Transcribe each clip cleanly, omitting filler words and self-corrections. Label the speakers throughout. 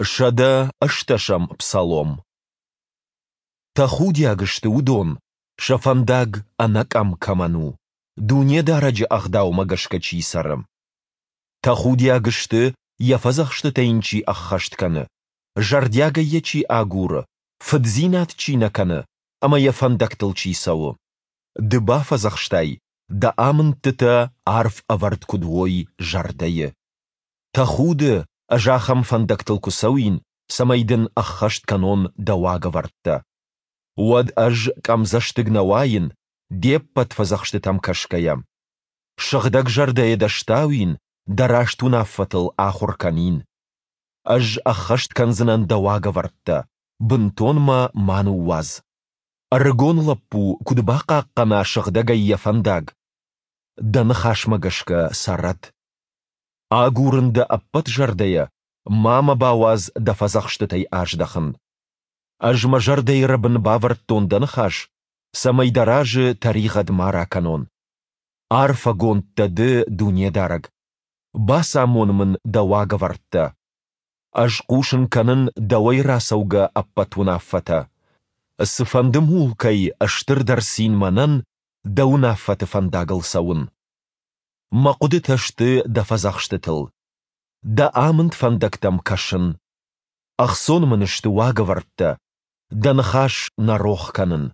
Speaker 1: 118-ӕм Псалом. Тӕхудиаг сты уыдон, сӕ фӕндаг ӕнӕкъӕм кӕмӕн у, Дунедарӕджы ӕгъдаумӕ гӕсгӕ чи цӕры. Тӕхудиаг сты, йӕ фӕдзӕхстытӕ йын чи ӕххӕст кӕны, зӕрдиагӕй йӕ чи агуры, фыддзинад чи нӕ кӕны ӕмӕ йӕ фӕндӕгтыл чи цӕуы. Ды бафӕдзӕхстай, дӕ амындтытӕ арф ӕвӕрд куыд уой зӕрдӕйы. Тӕхуды, ӕз ахӕм фӕндӕгтыл куы цӕуин, цӕмӕй дын ӕххӕст кӕнон дӕ уагӕвӕрдтӕ. Уӕд ӕз къӕмдзӕстыг нӕ уаин, де ппӕт фӕдзӕхстытӕм кӕсгӕйӕ. Сыгъдӕг зӕрдӕйӕ дӕ стауин, дӕ раст уынаффӕтыл ахуыр кӕнин. Ӕз ӕххӕст кӕндзынӕн дӕ уагӕвӕрдтӕ, бынтон мӕ ма ныууадз. Ӕрыгон лӕппу куыд бахъахъхъӕна сыгъдӕгӕй йӕ фӕндаг? Дӕ ныхасмӕ гӕсгӕ цӕрӕд. Агурын дӕ ӕппӕт зӕрдӕйӕ, ма мӕ бауадз дӕ фӕдзӕхстытӕй аздӕхын. Ӕз мӕ зӕрдӕйы рӕбын бавӕрдтон дӕ ныхас, цӕмӕй дӕ разы тӕригъӕд ма ракӕнон. Арфӕгонд дӕ ды, Дунедарӕг! Бацамон мын дӕ уагӕвӕрдтӕ. Ӕз хъусын кӕнын дӕуӕй рацӕугӕ ӕппӕт уынаффӕтӕ. Цыфӕнды мулкӕй стырдӕр цин мӕнӕн дӕ уынаффӕты фӕндагыл цӕуын. Мӕ хъуыдытӕ сты дӕ фӕдзӕхстытыл. Дӕ амынд фӕндӕгтӕм кӕсын. Ӕхцон мын сты уагӕвӕрдтӕ, дӕ ныхас нӕ рох кӕнын.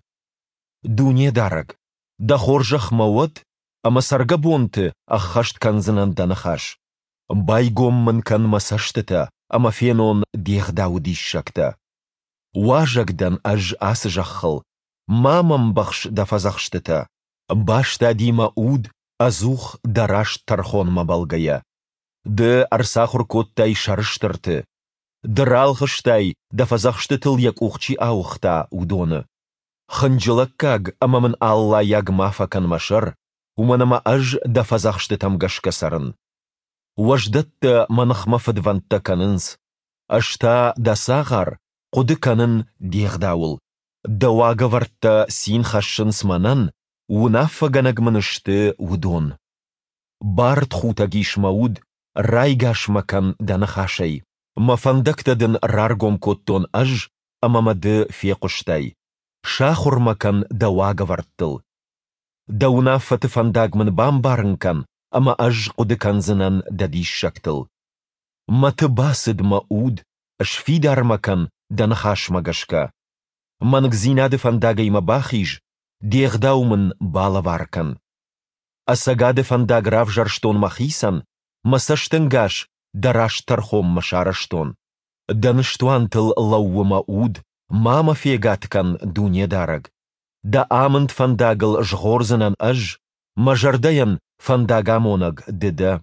Speaker 1: Дунедарӕг, дӕ хорзӕх мӕ уӕд, ӕмӕ цӕргӕбонты ӕххӕст кӕндзынӕн дӕ ныхас. Байгом мын кӕн мӕ цӕстытӕ, ӕмӕ фенон де гъдауы диссӕгтӕ. Уазӕг дӕн ӕз ацы зӕххыл, ма мӕм бӕхс дӕ фӕдзӕхстытӕ. Бастади мӕ уд ӕдзух дӕ раст тӕрхонмӕ бӕлгӕйӕ. Ды ӕрцахуыр кодтай сӕрыстырты. Ды ралгъыстай, дӕ фӕдзӕхстытыл йӕ къух чи ауыгъта, уыдоны. Хынджылӕггаг ӕмӕ мын аллайаг ма фӕкӕн мӕ сӕр, уымӕн ӕмӕ ӕз дӕ фӕдзӕхстытӕм гӕсгӕ цӕрын. Уӕздӕттӕ мӕ ныхмӕ фыдвӕндтӕ кӕнынц. Ӕз та, дӕ цагъар, хъуыды кӕнын де гъдауыл. Дӕ уагӕвӕрдтӕ цин хӕссынц мӕнӕн, уынаффӕгӕнӕг мын сты уыдон. Бартхутӕг ис мӕ уд, райгас мӕ кӕн дӕ ныхасӕй. Мӕ фӕндӕгтӕ дын раргом кодтон ӕз, ӕмӕ мӕ ды фехъуыстай. Сахуыр мӕ кӕн дӕ уагӕвӕрдтыл. Дӕ уынаффӕты фӕндаг мын бамбарын кӕн, ӕмӕ ӕз хъуыды кӕндзынӕн дӕ диссӕгтыл. Мӕты бацыд мӕ уд, сфидар мӕ кӕн дӕ ныхасмӕ гӕсгӕ. Мӕнгдзинады фӕндагӕй мӕ бахиз, де гъдау мын балӕвар кӕн. Ӕцӕгады фӕндаг равзӕрстон мӕхицӕн, мӕ цӕстӕнгас дӕ раст тӕрхонмӕ сарӕзтон. Дӕ ныстуантыл лӕууы мӕ уд, ма мӕ фегад кӕн, Дунедарӕг. Дӕ амынд фӕндагыл згъордзынӕн ӕз, мӕ зӕрдӕйӕн фӕндагамонӕг ды дӕ.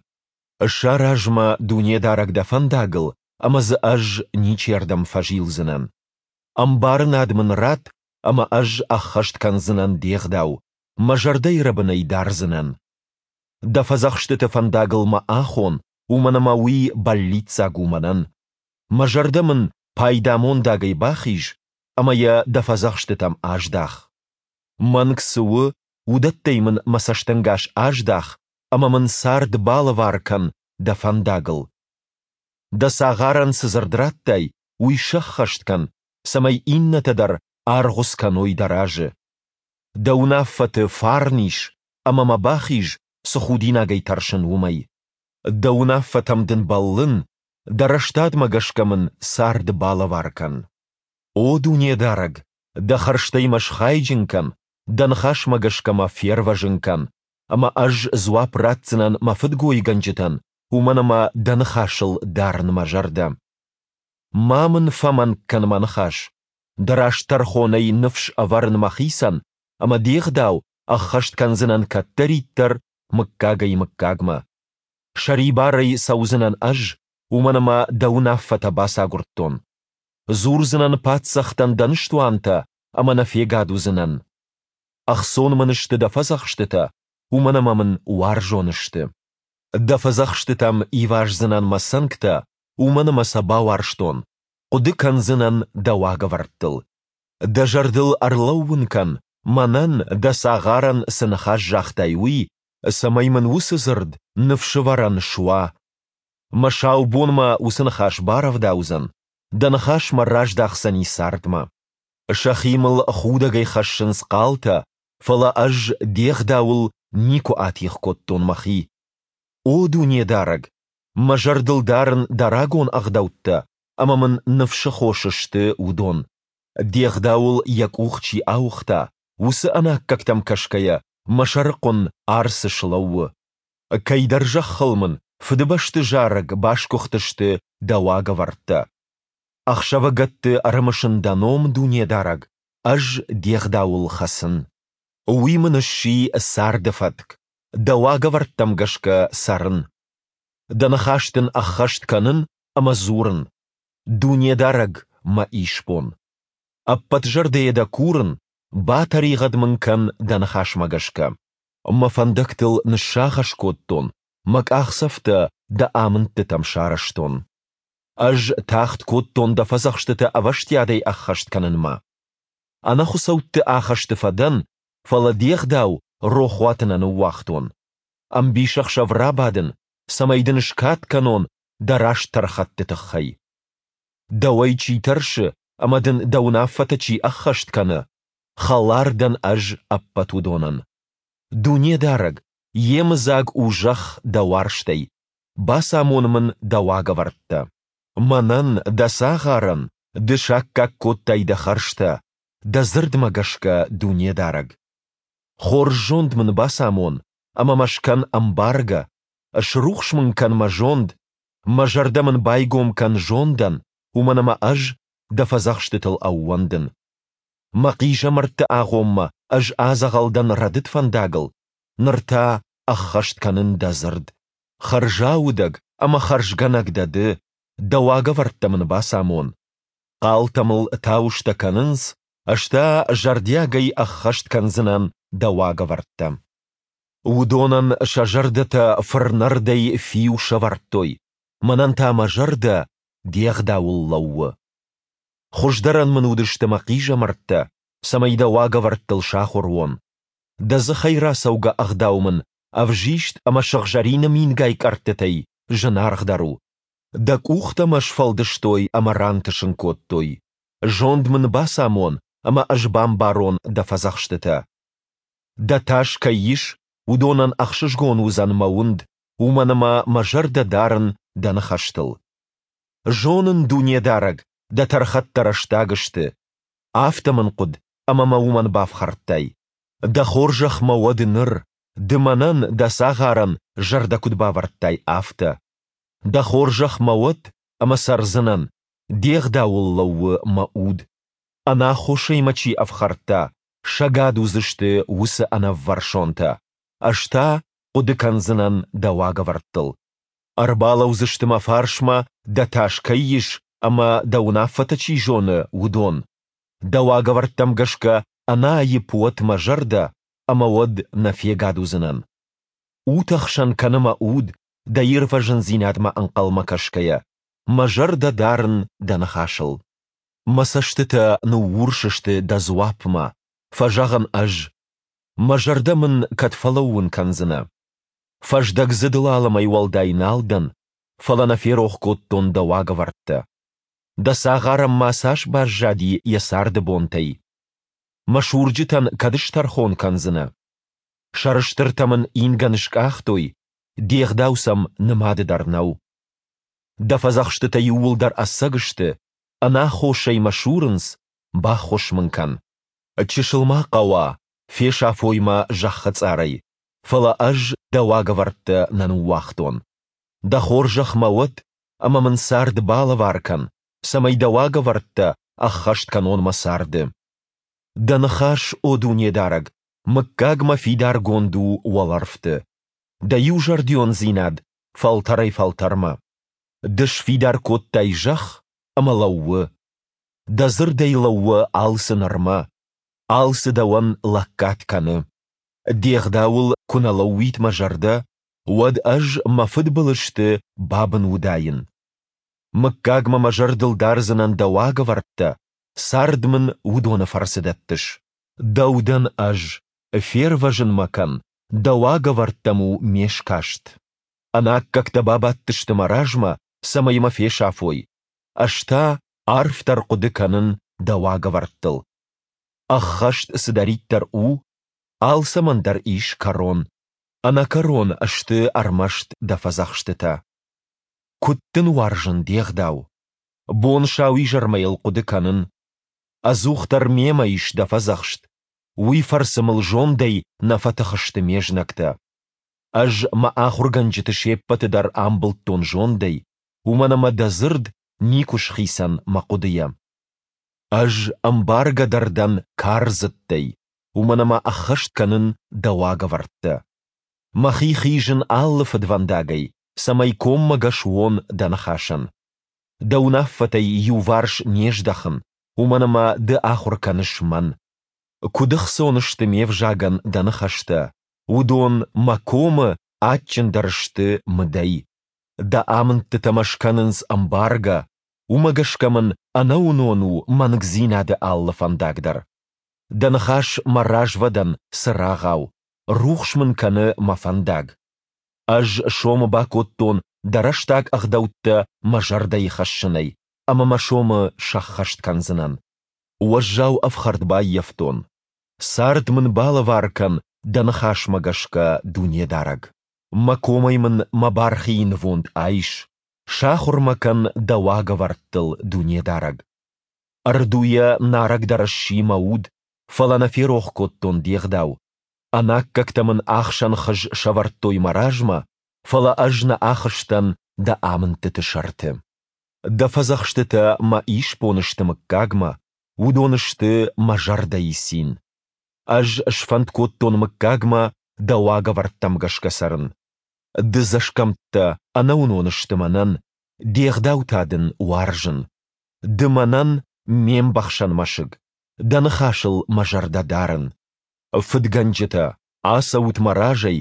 Speaker 1: Сараз мӕ, Дунедарӕг, дӕ фӕндагыл, ӕмӕ дзы ӕз ничердӕм фӕзилдзынӕн. Ӕмбарынад мын ратт, ӕмӕ ӕз ӕххӕст кӕндзынӕн де гъдау, мӕ зӕрдӕйы рӕбынӕй дардзынӕн. Дӕ фӕдзӕхстыты фӕндагыл мӕ ахон, уымӕн ӕмӕ уый бӕллиццаг у мӕнӕн. Мӕ зӕрдӕ мын пайдамондагӕй бахиз ӕмӕ йӕ дӕ фӕдзӕхстытӕм аздах. Мӕнг цы у, уыдӕттӕй мын мӕ цӕстӕнгас аздах ӕмӕ мын цард балӕвар кӕн дӕ фӕндагыл. Дӕ цагъарӕн цы дзырд радтай, уый сӕххӕст кӕн, цӕмӕй иннӕтӕ дӕр аргъуыц кӕной дӕ разы. Дӕ уынаффӕты фарн ис, ӕмӕ мӕ бахиз, цы худинагӕй тӕрсын, уымӕй. Дӕ уынаффӕтӕм дын бӕллын, дӕ рӕстадмӕ гӕсгӕ мын цард балӕвар кӕн. О Дунедарӕг, дӕ хӕрзтӕй мӕ схайджын кӕн, дӕ ныхасмӕ гӕсгӕ мӕ фервӕзын кӕн, ӕмӕ ӕз дзуапп ратдзынӕн мӕ фыдгойгӕнджытӕн, уымӕн ӕмӕ дӕ ныхасыл дарын мӕ зӕрдӕ. Ма мын фӕмӕнг кӕн мӕ ныхас, дӕ раст тӕрхонӕй ныфс ӕвӕрын мӕхицӕн, ӕмӕ де гъдау ӕххӕст кӕндзынӕн кӕддӕриддӕр мыггагӕй-мыггагмӕ. Сӕрибарӕй цӕудзынӕн ӕз, уымӕн ӕмӕ дӕ уынаффӕтӕ бацагуырдтон. Дзурдзынӕн паддзӕхтӕн дӕ ныстуантӕ ӕмӕ нӕ фегад уыдзынӕн. Ӕхцон мын сты дӕ фӕдзӕхстытӕ, уымӕн ӕмӕ мын уарзон сты. Дӕ фӕдзӕхстытӕм иваздзынӕн мӕ цӕнгтӕ, уымӕн ӕмӕ сӕ бауарзтон, хъуыды кӕндзынӕн дӕ уагӕвӕрдтыл. Дӕ зӕрдыл ӕрлӕууын кӕн, мӕнӕн, дӕ цагъарӕн цы ныхас загътай, уый, цӕмӕй мын уыцы дзырд ныфсӕвӕрӕн суа. Мӕ сау бон мӕ уыцы ныхас барӕвдаудзӕн. Дӕ ныхас мӕ раздахдзӕни цардмӕ. Сӕхи мыл худӕгӕй хӕссынц хъалтӕ, фӕлӕ ӕз Де гъдауыл никуы атигъ кодтон мӕхи. О Дунедарӕг, мӕ зӕрдыл дарын Дӕ рагон ӕгъдӕуттӕ, ӕмӕ мын ныфсы хос сты уыдон. Де гъдауыл йӕ къух чи ауыгъта, уыцы ӕнаккӕгтӕм кӕсгӕйӕ мӕ сӕрыхъуын арц слӕууы. Кӕйдӕр зӕххыл мын фыдыбӕсты зарӕг басгуыхтысты Дӕ уагӕвӕрдтӕ. Ӕхсӕвыгӕтты ӕрымысын Дӕ ном, Дунедарӕг, ӕз Де гъдауыл хӕцын. Уый мын сси царды фӕтк, Дӕ уагӕвӕрдтӕм гӕсгӕ цӕрын. Дӕ ныхас Дын ӕххӕст кӕнын ӕмӕ дзурын: Дунедарӕг, мӕ исбон. Ӕппӕт зӕрдӕйӕ Дӕ курын, батӕригъӕд мын кӕн Дӕ ныхасмӕ гӕсгӕ. Мӕ фӕндӕгтыл ныссагъӕс кодтон, мӕ къахдзӕфтӕ Дӕ амындтытӕм сарӕзтон. Ӕз тагъд кодтон Дӕ фӕдзӕхстытӕ ӕвӕстиатӕй ӕххӕст кӕнынмӕ. Ӕнӕхуыцӕутты ахӕсты фӕдӕн, фӕлӕ Де гъдау рохуаты нӕ ныууагътон. Ӕмбисӕхсӕв рабадын, цӕмӕй Дын скад кӕнон Дӕ раст тӕрхӕтты тыххӕй. Дӕуӕй чи тӕрсы ӕмӕ Дын Дӕ уынаффӕтӕ чи ӕххӕст кӕны, хӕлар дӕн ӕз ӕппӕт уыдонӕн. Дунедарӕг, йемыдзаг у зӕхх Дӕ уарзтӕй, бацамон мын Дӕ уагӕвӕрдтӕ. Мӕнӕн, Дӕ цагъарӕн, Ды саккаг кодтай Дӕ хӕрзтӕ, Дӕ дзырдмӕ гӕсгӕ, Дунедарӕг. Хорз зонд мын бацамон ӕмӕ мӕ скӕн ӕмбаргӕ, срухс мын кӕн мӕ зонд, мӕ зӕрдӕ мын байгом кӕн зондӕн, уымӕн ӕмӕ ӕз Дӕ фӕдзӕхстытыл ӕууӕндын. Мӕ хъизӕмӕртты агъоммӕ ӕз адзӕгъӕл дӕн рӕдыд фӕндагыл, ныр та ӕххӕст кӕнын Дӕ дзырд. Хӕрзаудӕг ӕмӕ хӕрзгӕнӕг дӕ Ды, Дӕ уагӕвӕрдтӕ мын бацамон. Хъалтӕ мыл тауыстӕ кӕнынц, ӕз та зӕрдиагӕй ӕххӕст кӕндзынӕн Дӕ уагӕвӕрдтӕ. Уыдонӕн сӕ зӕрдӕтӕ фырнӕрдӕй фиу сӕвӕрдтой, мӕнӕн та мӕ зӕрдӕ Де гъдауыл лӕууы. Хуыздӕрӕн мын уыдысты мӕ хъизӕмӕрттӕ, цӕмӕй Дӕ уагӕвӕрдтыл сахуыр уон. Дӕ дзыхӕй рацӕугӕ ӕгъдау мын ӕвзист ӕмӕ сыгъзӕрины мингай къӕрттытӕй зынаргъдӕр у. Дӕ къухтӕ мӕ сфӕлдыстой ӕмӕ рантысын кодтой. Зонд мын бацамон, ӕмӕ ӕз бамбарон Дӕ фӕдзӕхстытӕ. Дӕ тас кӕй ис, уыдонӕн ӕхсызгон уыдзӕн мӕ уынд, уымӕн ӕмӕ мӕ зӕрдӕ дарын Дӕ ныхӕстыл. Зонын, Дунедарӕг, Дӕ тӕрхӕттӕ рӕстаг сты. Афтӕ мын хъуыд, ӕмӕ мӕ уымӕн бафхӕрдтай. Дӕ хорзӕх мӕ уӕд ныр, Ды мӕнӕн, Дӕ цагъарӕн, зӕрдӕ куыд бавӕрдтай, афтӕ. Дӕ хорзӕх мӕ уӕд, ӕмӕ цӕрдзынӕн, Де гъдауыл лӕууы мӕ уд. Ӕнаххосӕй мӕ чи ӕфхӕрдта, сӕгад уыдзысты уыцы ӕнӕввӕрсонтӕ, ӕз та хъуыды кӕндзынӕн Дӕ уагӕвӕрдтыл. Ӕрбалӕудзысты мӕ фарсмӕ, Дӕ тас кӕй ис ӕмӕ Дӕ уынаффӕтӕ чи зоны, уыдон. Дӕ уагӕвӕрдтӕм гӕсгӕ ӕнӕаипп уӕд мӕ зӕрдӕ, ӕмӕ уӕд нӕ фегад уыдзынӕн. Утӕхсӕн кӕны мӕ уд, Дӕ ирвӕзындзинадмӕ ӕнхъӕлмӕ кӕсгӕйӕ, мӕ зӕрдӕ дарын Дӕ ныхасыл. Мӕ цӕстытӕ ныуурс сты Дӕ дзуапмӕ, фӕзӕгъын ӕз. Мӕ зӕрдӕ мын кӕд фӕлӕууын кӕндзынӕ? Фӕздӕгдзыд лалымӕй уӕлдай нал дӕн, фӕлӕ нӕ ферох кодтон Дӕ уагӕвӕрдтӕ. Дӕ цагъарӕн ма цас баззади йӕ царды бонтӕй? Мӕ сурджытӕн кӕд стӕрхон кӕндзынӕ? Сӕрыстыртӕ мын ингӕн скъахтой, Де гъдау сӕм нымады дӕр нӕу. Дӕ фӕдзӕхстытӕ иууылдӕр ӕцӕг сты, ӕнаххосӕй мӕ сурынц, баххуыс мын кӕн. Чысыл ма хъӕуа, фесӕфой мӕ зӕххы цъарӕй, фӕлӕ ӕз Дӕ уагӕвӕрдтӕ нӕ ныууагътон. Дӕ хорзӕх мӕ уӕд, ӕмӕ мын цард балӕвар кӕн, цӕмӕй Дӕ уагӕвӕрдтӕ ӕххӕст кӕнон мӕ царды. Дӕ ныхас, о Дунедарӕг, мыггагмӕ фидаргонд у уӕлӕрвты. Дӕ иузӕрдиондзинад фӕлтӕрӕй-фӕлтӕрмӕ. Ды сфидар кодтай зӕхх, ӕмӕ лӕууы. Дӕ дзырдӕй лӕууы алцы нырмӕ. Алцы дӕуӕн лӕггад кӕны. Де гъдауыл куы нӕ лӕууид мӕ зӕрдӕ, уӕд ӕз мӕ фыдбылызты бабын уыдаин. Мыггагмӕ мӕ зӕрдыл дардзынӕн дӕ уагӕвӕрдтӕ, цард мын уыдоны фӕрцы дӕттыс. Дӕу дӕн ӕз, фервӕзын мӕ кӕн, дӕ уагӕвӕрдтӕм у ме скаст. Ӕнаккӕгтӕ бабадтысты мӕ размӕ, цӕмӕй мӕ фесафой. Ӕз та Арфдӕр хъуыды кӕнын Дӕ уагӕвӕрдтыл. Ӕххӕст цыдӕриддӕр у, алцӕмӕн дӕр ис кӕрон, ӕнӕкӕрон сты ӕрмӕст Дӕ фӕдзӕхстытӕ. Куыд дын уарзын Де гъдау! Бон-сауизӕрмӕ йыл хъуыды кӕнын. Ӕдзухдӕр мемӕ ис Дӕ фӕдзӕхст, уый фӕрцы мыл зондӕй нӕ фӕтых сты ме знӕгтӕ. Ӕз мӕ ахуыргӕнджыты се ппӕты дӕр амбылдтон зондӕй, уымӕн ӕмӕ Дӕ дзырд никуы схицӕн мӕ хъуыдыйӕ. Ӕз ӕмбаргӕдӕр дӕн кардзыдтӕй, уымӕн ӕмӕ ӕххӕст кӕнын Дӕ уагӕвӕрдтӕ. Мӕхи хизын алы фыдвӕндагӕй, цӕмӕй коммӕгӕс уон Дӕ ныхасӕн. Дӕ уынаффӕтӕй иуварс не здӕхын, уымӕн ӕмӕ Ды ахуыр кӕныс мӕн. Куыд ӕхцон сты ме взагӕн Дӕ ныхӕстӕ, уыдон мӕ комы адджындӕр сты мыдӕй. Дӕ амындтытӕ мӕ скӕнынц ӕмбаргӕ, уымӕ гӕсгӕ мын ӕнӕуынон у мӕнгдзинады алы фӕндаг дӕр. Дӕ ныхас мӕ развӕдӕн цырагъау, рухс мын кӕны мӕ фӕндаг. Ӕз сомы бакодтон дӕ рӕстаг ӕгъдӕуттӕ мӕ зӕрдӕйы хӕссынӕй ӕмӕ мӕ сомы сӕххӕст кӕндзынӕн. Уӕззау ӕфхӕрд баййӕфтон. Цард мын балӕвар кӕн дӕ ныхасмӕ гӕсгӕ, Дунедарӕг. Мӕ комӕй мын мӕ бархийы нывонд айс, сахуыр мӕ кӕн дӕ уагӕвӕрдтыл, Дунедарӕг. Ӕрдуйӕ нарӕгдӕр сси мӕ уд, фӕлӕ нӕ ферох кодтон де гъдау. Ӕнаккӕгтӕ мын ахсӕн хыз сӕвӕрдтой мӕ размӕ, фӕлӕ ӕз нӕ ахызтӕн дӕ амындтыты сӕрты. Дӕ фӕдзӕхстытӕ мӕ исбон сты мыггагмӕ, уыдон сты мӕ зӕрдӕйы цин. Ӕз сфӕнд кодтон мыггагмӕ дӕ уагӕвӕрдтӕм гӕсгӕ цӕрын. Дыдзӕсгӕмттӕ ӕнӕуынон сты мӕнӕн, де гъдау та дын уарзын. Ды мӕнӕн ме мбӕхсӕн мӕсыг, дӕ ныхасыл мӕ зӕрдӕ дарын. Фыдгӕнджытӕ, ацӕут мӕ разӕй,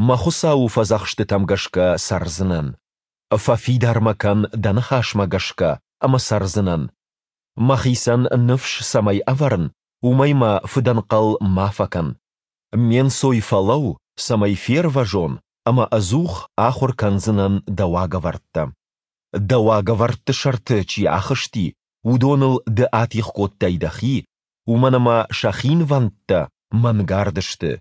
Speaker 1: мӕ Хуыцауы фӕдзӕхстытӕм гӕсгӕ цӕрдзынӕн. Фӕфидар мӕ кӕн дӕ ныхасмӕ гӕсгӕ ӕмӕ цӕрдзынӕн. Мӕхицӕн ныфс цӕмӕй ӕвӕрын, уымӕй мӕ фыдӕнхъӕл ма фӕкӕн. Ме нцой фӕлӕуу, цӕмӕй фервӕзон, ӕмӕ ӕдзух ахуыр кӕндзынӕн дӕ уагӕвӕрдтӕ. Дӕ уагӕвӕрдты сӕрты чи ахызти, уыдоныл ды атигъ кодтай дӕхи, уымӕн ӕмӕ сӕ хинвӕндтӕ мӕнгард сты.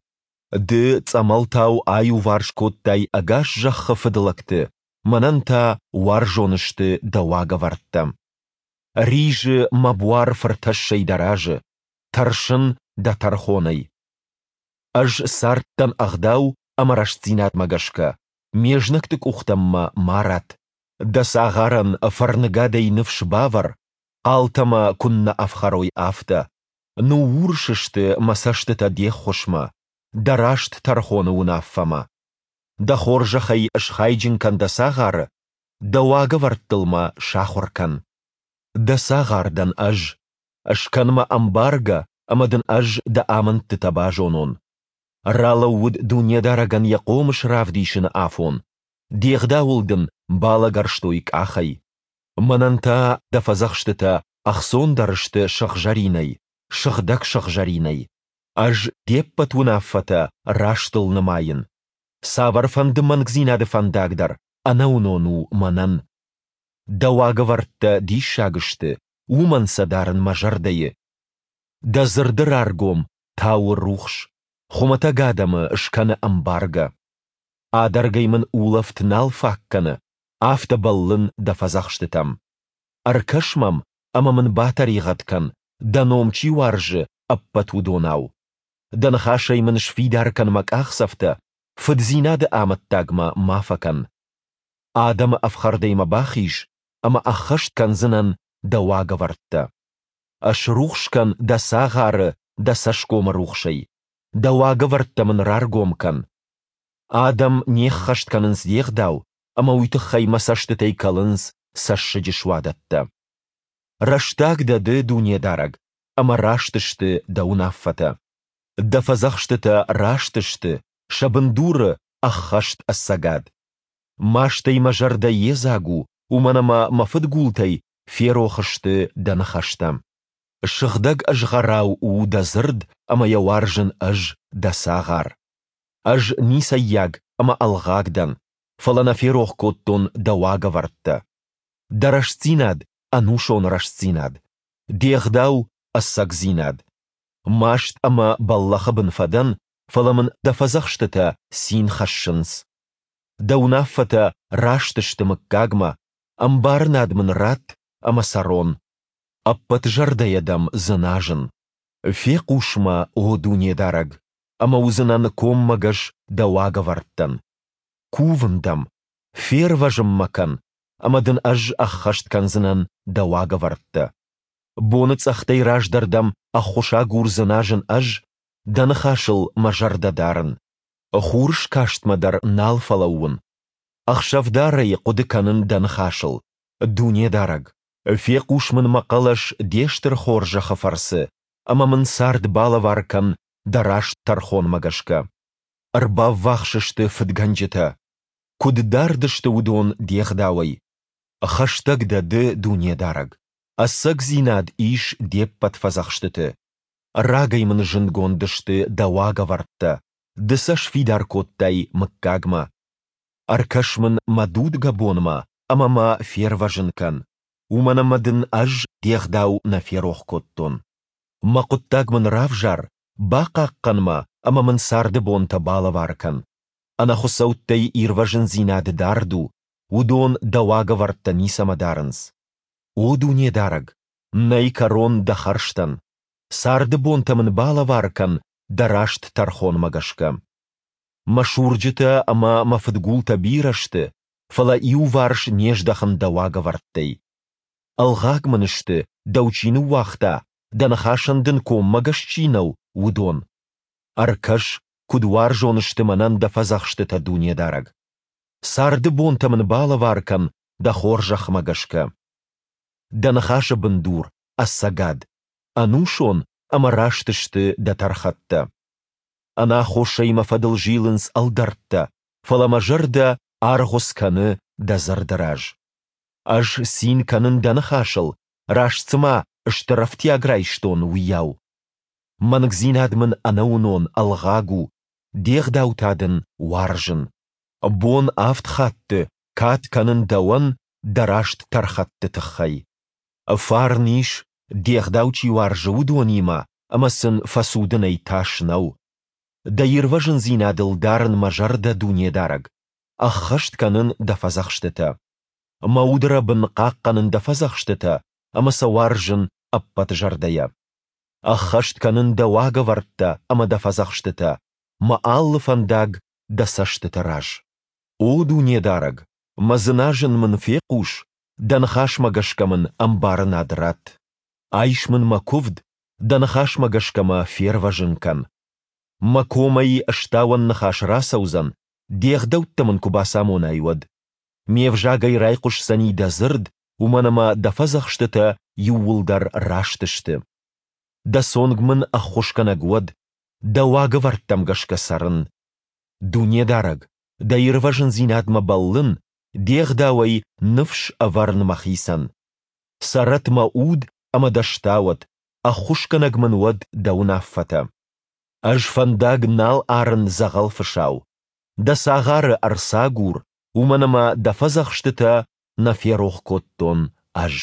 Speaker 1: Ды цъӕмӕлтау аиуварс кодтай ӕгас зӕххы фыдлӕгты, мӕнӕн та уарзон сты дӕ уагӕвӕрдтӕ. Ризы мӕ буар фыртӕссӕй дӕ разы, тӕрсын дӕ тӕрхонӕй. Ӕз цардтӕн ӕгъдау ӕмӕ рӕстдзинадмӕ гӕсгӕ, ме знӕгты къухтӕм мӕ ма ратт. Дӕ цагъарӕн фӕрныгадӕй ныфс бавӕр, хъалтӕ мӕ куыннӕ ӕфхӕрой, афтӕ. Ныуурс сты мӕ цӕстытӕ де ххуысмӕ, дӕ раст тӕрхоны уынаффӕмӕ. Дӕ хорзӕхӕй схайджын кӕн дӕ цагъары, дӕ уагӕвӕрдтыл мӕ сахуыр кӕн. Дӕ цагъар дӕн ӕз, скӕн мӕ ӕмбаргӕ ӕмӕ дын ӕз дӕ амындтытӕ базонон. Ралӕууыд Дунедарӕгӕн йӕ хъомыс равдисыны афон, де гъдауыл дын балӕгӕрстой къахӕй. Мӕнӕн та дӕ фӕдзӕхстытӕ ӕхцондӕр сты сыгъзӕринӕй, сыгъдӕг сыгъзӕринӕй. Ӕз де ппӕт уынаффӕтӕ растыл нымайын. Цавӕрфӕнды мӕнгдзинады фӕндаг дӕр ӕнӕуынон у мӕнӕн. Дӕ уагӕвӕрдтӕ диссаг сты, уымӕн сӕ дарын мӕ зӕрдӕйы. Дӕ дзырды раргом тауы рухс, хуымӕтӕг адӕмы скӕны ӕмбаргӕ. Адӕргӕй мын улӕфт нал фаг кӕны, афтӕ бӕллын дӕ фӕдзӕхстытӕм. Ӕркӕс мӕм ӕмӕ мын батӕригъӕд кӕн, дӕ ном чи уарзы, ӕппӕт уыдонау. Дӕ ныхасӕй мын сфидар кӕн мӕ къахдзӕфтӕ, фыддзинады амӕттаг мӕ ма фӕкӕн. Адӕмы ӕфхӕрдӕй мӕ бахиз, ӕмӕ ӕххӕст кӕндзынӕн дӕ уагӕвӕрдтӕ. Ӕсрухс кӕн дӕ цагъары дӕ цӕсгомы рухсӕй, дӕ уагӕвӕрдтӕ мын раргом кӕн. Адӕм не ххӕст кӕнынц де гъдау, ӕмӕ уый тыххӕй мӕ цӕстытӕй кӕлынц цӕссыджы суадӕттӕ. Рӕстаг дӕ ды, Дунедарӕг, ӕмӕ раст сты дӕ уынаффӕтӕ. Дӕ фӕдзӕхстытӕ раст сты, сӕ бындуры ӕххӕст ӕцӕгад. Мастӕй мӕ зӕрдӕ йедзаг у, уымӕн ӕмӕ мӕ фыдгултӕй ферох сты дӕ ныхӕстӕ. Сыгъдӕг ызгъӕрау у дӕ дзырд ӕмӕ йӕ уарзын ӕз, дӕ цагъар. Ӕз ницӕййаг ӕмӕ ӕлгъаг дӕн, фӕлӕ нӕ ферох кодтон дӕ уагӕвӕрдтӕ. Дӕ рӕстдзинад ӕнусон рӕстдзинад, Де Гъдау, ӕцӕгдзинад. Маст ӕмӕ бӕллӕхы бын фӕдӕн, фӕлӕ мын Дӕ фӕдзӕхстытӕ цин хӕссынц. Дӕ уынаффӕтӕ раст сты мыггагмӕ, ӕмбарынад мын ратт, ӕмӕ цӕрон. Ӕппӕт зӕрдӕйӕ Дӕм дзыназын. Фехъус мӕ, о Дунедарӕг, ӕмӕ уыдзынӕн коммӕгӕс Дӕ уагӕвӕрдтӕн. Кувын Дӕм, фервӕзын мӕ кӕн, ӕмӕ Дын ӕз ӕххӕст кӕндзынӕн Дӕ уагӕвӕрдтӕ. Боныцъӕхтӕй раздӕр Дӕм ӕххуысагур дзыназын ӕз, Дӕ ныхасыл мӕ зӕрдӕ дарын. Хурыскастмӕ дӕр нал фӕлӕууын, ӕхсӕвдарӕй хъуыды кӕнын Дӕ ныхасыл, Дунедарӕг. Фехъус мын мӕ хъӕлӕс Де стыр хорзӕхы фӕрцы, ӕмӕ мын цард балӕвар кӕн Дӕ раст тӕрхонмӕ гӕсгӕ. Ӕрбаввахс сты фыдгӕнджытӕ. Куыд дард сты уыдон Де Гъдауӕй! Хӕстӕг дӕ Ды, Дунедарӕг. Ӕцӕгдзинад ис Де ппӕт фӕдзӕхстыты. Рагӕй мын зындгонд сты Дӕ уагӕвӕрдтӕ, Ды сӕ сфидар кодтай мыггагмӕ. Ӕркӕс мын мӕ дудгӕбонмӕ ӕмӕ мӕ фервӕзын кӕн, уымӕн ӕмӕ дын ӕз Де Гъдау нӕ ферох кодтон. Мӕ хъуыддаг мын равзар, бахъахъхъӕн мӕ ӕмӕ мын царды бонтӕ балӕвар кӕн. Ӕнӕхуыцӕуттӕй ирвӕзындзинад дард у, уыдон Дӕ уагӕвӕрдтӕ ницӕмӕ дарынц. О Дунедарӕг, нӕй кӕрон Дӕ хӕрзтӕн. Царды бонтӕ мын балӕвар кӕн Дӕ раст тӕрхонмӕ гӕсгӕ. Мӕ сурджытӕ ӕмӕ мӕ фыдгултӕ бирӕ сты, фӕлӕ иуварс не здӕхын Дӕ уагӕвӕрдтӕй. Ӕлгъаг мын сты, Дӕу чи ныууагъта, Дӕ ныхасӕн Дын коммӕгӕс чи нӕу, уыдон. Ӕркӕс, куыд уарзон сты мӕнӕн Дӕ фӕдзӕхстытӕ, Дунедарӕг. Царды бонтӕ мын балӕвар кӕн Дӕ хорзӕхмӕ гӕсгӕ. Дӕ ныхасы бындур, ӕцӕгад. Ӕнусон ӕмӕ раст сты Дӕ тӕрхӕттӕ. Ӕнаххосӕй мӕ фӕдыл зилынц ӕлдӕрттӕ, фӕлӕ мӕ зӕрдӕ аргъуыц кӕны Дӕ дзырды раз. Ӕз цин кӕнын Дӕ ныхасыл, раст цыма стыр ӕфтиаг райстон, уыйау. Мӕнгдзинад мын ӕнӕуынон ӕлгъаг у, Де гъдау та Дын уарзын. Бон авд хатты кад кӕнын Дӕуӕн Дӕ раст тӕрхӕтты тыххӕй. Фарн ис, Де гъдау чи уарзы, уыдонимӕ, ӕмӕ сын фӕцудынӕй тас нӕу. Дӕ ирвӕзындзинадыл дарын мӕ зӕрдӕ, Дунедарӕг, ӕххӕст кӕнын Дӕ фӕдзӕхстытӕ. Мӕ удрӕбын хъахъхъӕнын Дӕ фӕдзӕхстытӕ ӕмӕ сӕ уарзын ӕппӕт зӕрдӕйӕ. Ӕххӕст кӕнын Дӕ уагӕвӕрдтӕ ӕмӕ Дӕ фӕдзӕхстытӕ, мӕ алы фӕндаг Дӕ цӕстыты раз. О Дунедарӕг, мӕ дзыназын мын фехъус, Дӕ ныхасмӕ гӕсгӕ мын ӕмбарынад ратт. Айс мын мӕ куывд, Дӕ ныхасмӕ гӕсгӕ мӕ фервӕзын кӕн. Мӕ комӕй стауӕн ныхас рацӕудзӕн, Де гъдӕуттӕ мын куы бацамонай, уӕд. Ме взагӕй райхъуысдзӕни Дӕ дзырд, уымӕн ӕмӕ Дӕ фӕдзӕхстытӕ иууылдӕр раст сты. Дӕ цонг мын ӕххуысгӕнӕг уӕд, Дӕ уагӕвӕрдтӕм гӕсгӕ цӕрын. Дунедарӕг, Дӕ ирвӕзындзинадмӕ бӕллын, Де гъдауӕй ныфс ӕвӕрын мӕхицӕн. Цӕрӕт мӕ уд ӕмӕ Дӕ стауӕд, ӕххуысгӕнӕг мын уӕд Дӕ уынаффӕтӕ. Ӕз фӕндаг нал арын дзӕгъӕл фысау. Дӕ цагъары ӕрцагур, уымӕн ӕмӕ Дӕ фӕдзӕхстытӕ нӕ ферох кодтон ӕз.